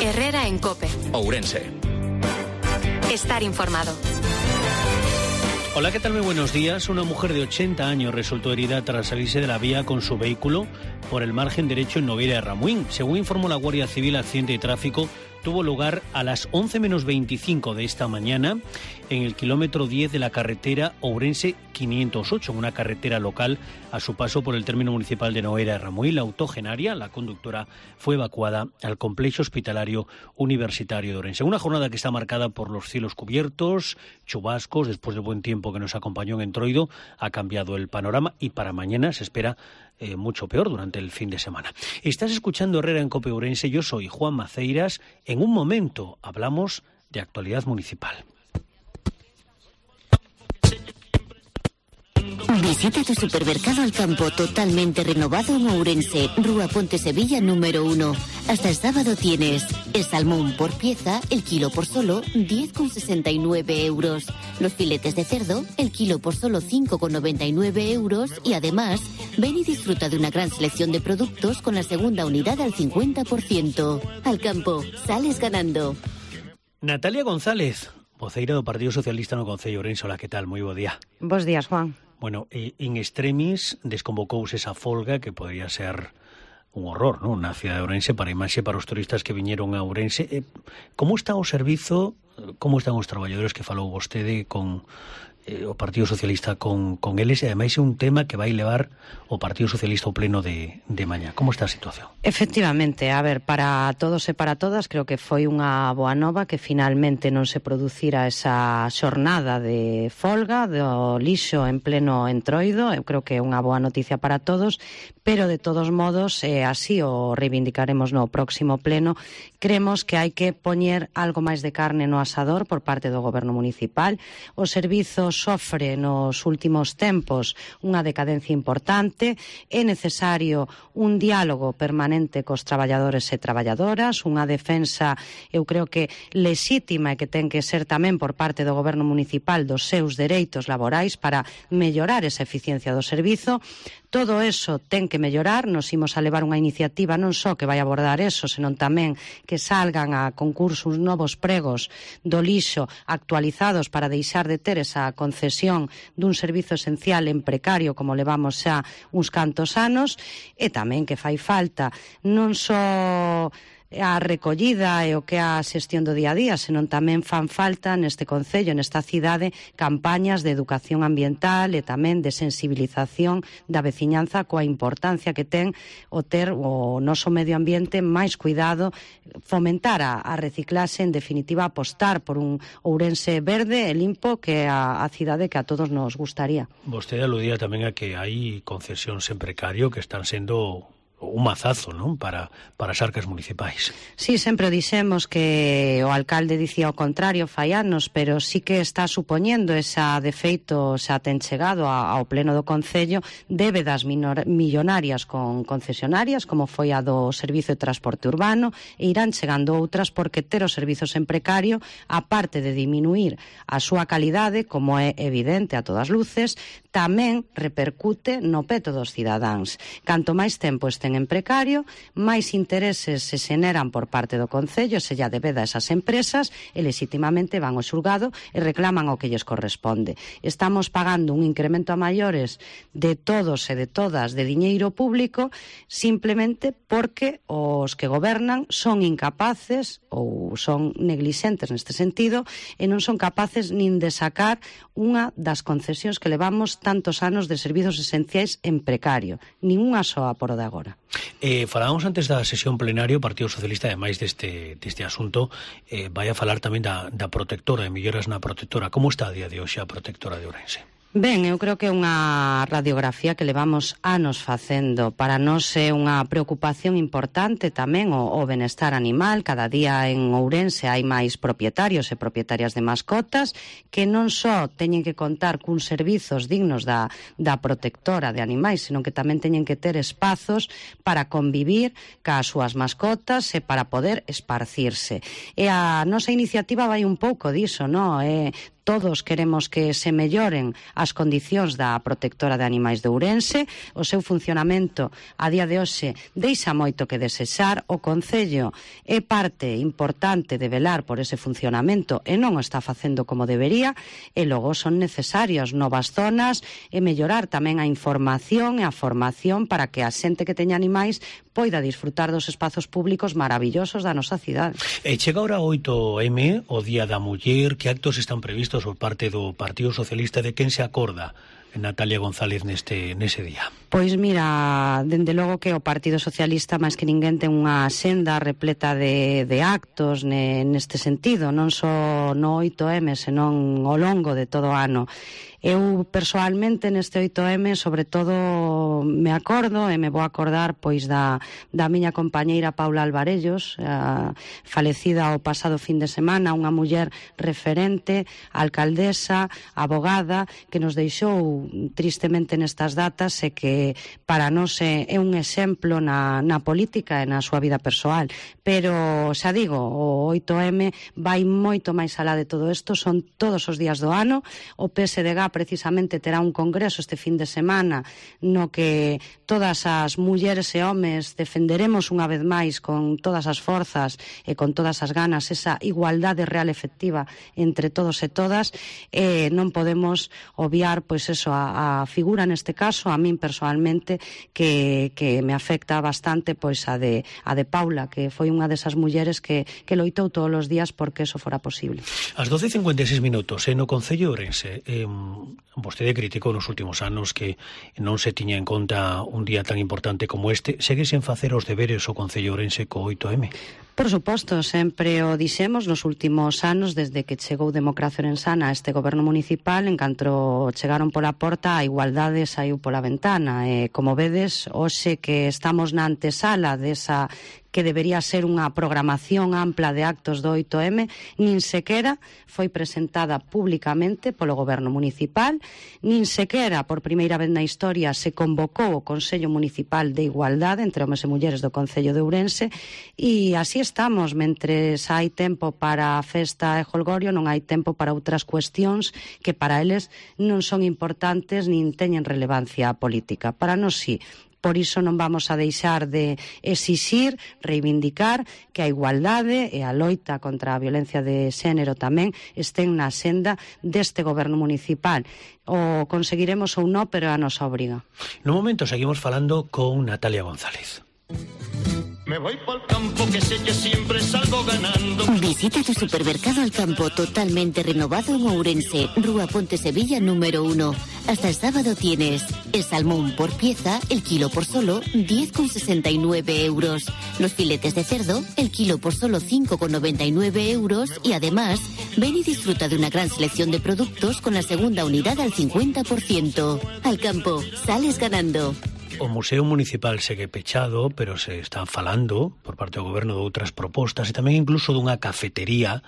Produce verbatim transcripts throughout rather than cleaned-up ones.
Herrera en COPE. Ourense. Estar informado. Hola, ¿qué tal? Muy buenos días. Una mujer de ochenta años resultó herida tras salirse de la vía con su vehículo por el margen derecho en Nogueira de Ramuín. Según informó la Guardia Civil, accidente de tráfico tuvo lugar a las once menos veinticinco de esta mañana en el kilómetro diez de la carretera Ourense quinientos ocho, una carretera local a su paso por el término municipal de Nogueira de Ramuín. La octogenaria, la conductora, fue evacuada al complejo hospitalario universitario de Ourense. Una jornada que está marcada por los cielos cubiertos, chubascos, después del buen tiempo que nos acompañó en Entroido, ha cambiado el panorama y para mañana se espera eh, mucho peor durante el fin de semana. Estás escuchando Herrera en COPE Ourense, yo soy Juan Maceiras. En un momento hablamos de actualidad municipal. Visita tu supermercado Al Campo, totalmente renovado en Ourense, Rúa Ponte Sevilla número uno. Hasta el sábado tienes el salmón por pieza, el kilo por solo diez con sesenta y nueve euros. Los filetes de cerdo, el kilo por solo cinco con noventa y nueve euros. Y además, ven y disfruta de una gran selección de productos con la segunda unidad al cincuenta por ciento. Al Campo, sales ganando. Natalia González, voceira do Partido Socialista no Concello de Ourense. Hola, que tal? Moi bo día. Bos días, Juan. Bueno, eh, in extremis desconvocouse esa folga que podría ser un horror, ¿no? Na cidade de Ourense, para imaxe para os turistas que viñeron a Ourense. Eh, como está o servizo, como están os traballadores que falou vostede con eh, o Partido Socialista con, con eles, e ademais é un tema que vai levar o Partido Socialista ao pleno de, de mañá. Como está a situación? Efectivamente, a ver, para todos e para todas, creo que foi unha boa nova que finalmente non se producira esa xornada de folga do lixo en pleno Entroido. Eu creo que é unha boa noticia para todos, pero de todos modos, eh, así o reivindicaremos no próximo pleno. Creemos que hai que poñer algo máis de carne no asador por parte do Goberno municipal. O servizo sofre nos últimos tempos unha decadencia importante. É necesario un diálogo permanente cos traballadores e traballadoras, unha defensa, eu creo que lexítima e que ten que ser tamén por parte do Goberno municipal dos seus dereitos laborais para mellorar esa eficiencia do servizo. Todo eso ten que mellorar. Nos imos a levar unha iniciativa non só que vai abordar eso, senón tamén que salgan a concursos novos pregos do lixo actualizados para deixar de ter esa concesión dun servizo esencial en precario como levamos xa uns cantos anos, e tamén que fai falta non só a recollida e o que é a xestión do día a día, senón tamén fan falta neste concello, nesta cidade, campañas de educación ambiental e tamén de sensibilización da veciñanza coa importancia que ten o ter o noso medio ambiente máis cuidado, fomentar a, a reciclaxe, en definitiva apostar por un Ourense verde e limpo, que é a, a cidade que a todos nos gustaría. Vostede aludía tamén a que hai concesións en precario que están sendo un mazazo, non? Para, para as arcas municipais. Sí, sempre dixemos que o alcalde dicía o contrario fai anos, pero sí que está supoñendo esa defeito, xa ten chegado ao pleno do Concello, débedas millonarias con concesionarias, como foi a do Servizo de Transporte Urbano, e irán chegando outras, porque ter os servizos en precario, aparte de diminuir a súa calidade, como é evidente a todas luces, tamén repercute no peto dos cidadáns. Canto máis tempo estén en precario, máis intereses se xeneran por parte do Concello, se lla debeda a esas empresas, e legitimamente van ao xulgado e reclaman o que lles corresponde. Estamos pagando un incremento a maiores de todos e de todas de diñeiro público, simplemente porque os que gobernan son incapaces ou son neglixentes neste sentido, e non son capaces nin de sacar unha das concesións que levamos tantos anos de servizos esenciais en precario, nin unha soa por o de agora. Eh, falábamos antes da sesión plenaria, o Partido Socialista, ademais deste, deste asunto, eh, vai a falar tamén da, da protectora, de melloras na protectora. Como está a día de hoxe a protectora de Ourense? Ben, eu creo que é unha radiografía que levamos anos facendo. Para nós é unha preocupación importante tamén o, o benestar animal. Cada día en Ourense hai máis propietarios e propietarias de mascotas que non só teñen que contar cun servizos dignos da, da protectora de animais, senón que tamén teñen que ter espazos para convivir cas súas mascotas e para poder esparcirse. E a nosa iniciativa vai un pouco diso, non? É todos queremos que se melloren as condicións da protectora de animais de Ourense. O seu funcionamento a día de hoxe deixa moito que desexar. O Concello é parte importante de velar por ese funcionamento e non o está facendo como debería, e logo son necesarias novas zonas e mellorar tamén a información e a formación para que a xente que teña animais poida disfrutar dos espazos públicos maravillosos da nosa cidade. E chega ahora oito eme, o Día da Muller. Que actos están previstos por parte do Partido Socialista? De quen se acorda Natalia González neste nese día? Pois mira, dende logo que o Partido Socialista máis que ninguén ten unha senda repleta de, de actos ne, neste sentido, non só no oito eme, senón ao longo de todo o ano. Eu, persoalmente, neste oito eme, sobre todo, me acordo e me vou acordar pois da, da miña compañeira Paula Alvarellos, a, falecida o pasado fin de semana, unha muller referente, alcaldesa, abogada, que nos deixou tristemente nestas datas e que para nós é, é un exemplo na, na política e na súa vida persoal. Pero, xa digo, o oito eme vai moito máis alá de todo isto, son todos os días do ano. O P S D G precisamente terá un congreso este fin de semana no que todas as mulleres e homes defenderemos unha vez máis con todas as forzas e con todas as ganas esa igualdade real efectiva entre todos e todas. E non podemos obviar pois eso, a, a figura neste caso, a min personalmente, que, que me afecta bastante, pois a de, a de Paula, que foi unha desas mulleres que, que loitou todos os días porque eso fora posible. As doce e cincuenta e seis minutos, eh, no Concello de Ourense, eh, vostede criticou nos últimos anos que non se tiña en conta un día tan importante como este. Segue sen facer os deberes o Concello de Ourense co oito eme? Por suposto, sempre o dixemos nos últimos anos, desde que chegou Democracia Orensana a este goberno municipal. En canto chegaron pola porta, a igualdade saiu pola ventana. E, como vedes, hoxe que estamos na antesala desa que debería ser unha programación ampla de actos do oito eme, nin sequera foi presentada públicamente polo goberno municipal, nin sequera por primeira vez na historia se convocou o Consello Municipal de Igualdade entre homes e mulleres do Concello de Ourense, e así estamos. Mentres hai tempo para a festa e jolgorio, non hai tempo para outras cuestións que para eles non son importantes nin teñen relevancia política. Para nós sí. Por iso non vamos a deixar de exixir, reivindicar que a igualdade e a loita contra a violencia de xénero tamén estén na senda deste goberno municipal. O conseguiremos ou non, pero é a nosa obriga. No momento seguimos falando con Natalia González. Me voy por campo que sé que siempre salgo ganando. Visita tu supermercado al campo totalmente renovado en Ourense, Rúa Ponte Sevilla número uno. Hasta el sábado tienes el salmón por pieza, el kilo por solo diez con sesenta y nueve euros. Los filetes de cerdo, el kilo por solo cinco con noventa y nueve euros. Y además, ven y disfruta de una gran selección de productos con la segunda unidad al cincuenta por ciento. Al campo, sales ganando. O Museo Municipal segue pechado, pero se están falando por parte do goberno de outras propostas e tamén incluso dunha cafetería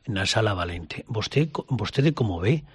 na Sala Valente. Vostede, vostede como ve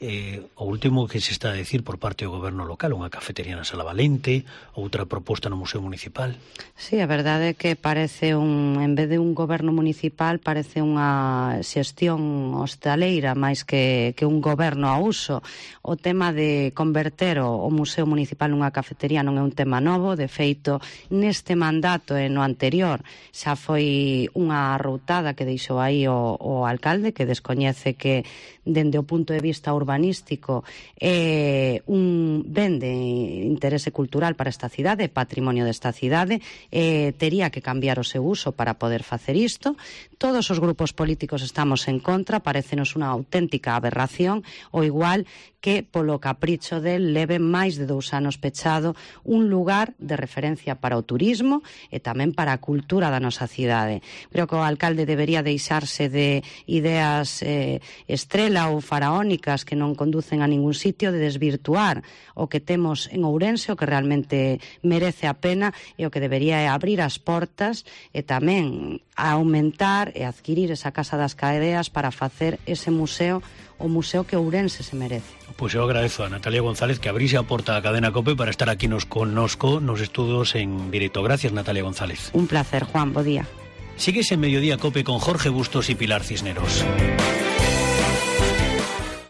eh, o último que se está a decir por parte do goberno local, unha cafetería na Sala Valente, outra proposta no Museo Municipal? Sí, a verdade é que parece un, en vez de un goberno municipal, parece unha xestión hostaleira máis que, que un goberno a uso. O tema de converter o, o Museo Municipal nunha cafetería non é un tema novo. De feito, neste mandato e no anterior xa foi unha arroutada que deixou aí o, o alcalde, que descoñece que dende o punto de vista urbanístico é un ben de interese cultural para esta cidade, patrimonio desta cidade, e tería que cambiar o seu uso para poder facer isto. Todos os grupos políticos estamos en contra, parécenos unha auténtica aberración, o igual que polo capricho del leve máis de dous anos pechado un lugar de referencia para o turismo e tamén para a cultura da nosa cidade. Creo que o alcalde debería deixarse de ideas eh, estrela ou faraónicas que non conducen a ningún sitio, de desvirtuar o que temos en Ourense, o que realmente merece a pena, e o que debería é abrir as portas e tamén aumentar e adquirir esa Casa das Caedeas para facer ese museo, o museo que Ourense se merece. Pois eu agradezo a Natalia González que abrise a porta da cadena COPE para estar aquí nos connosco nos estudos en directo. Gracias, Natalia González. Un placer, Juan, bo día. Sigues en Mediodía COPE con Jorge Bustos y Pilar Cisneros.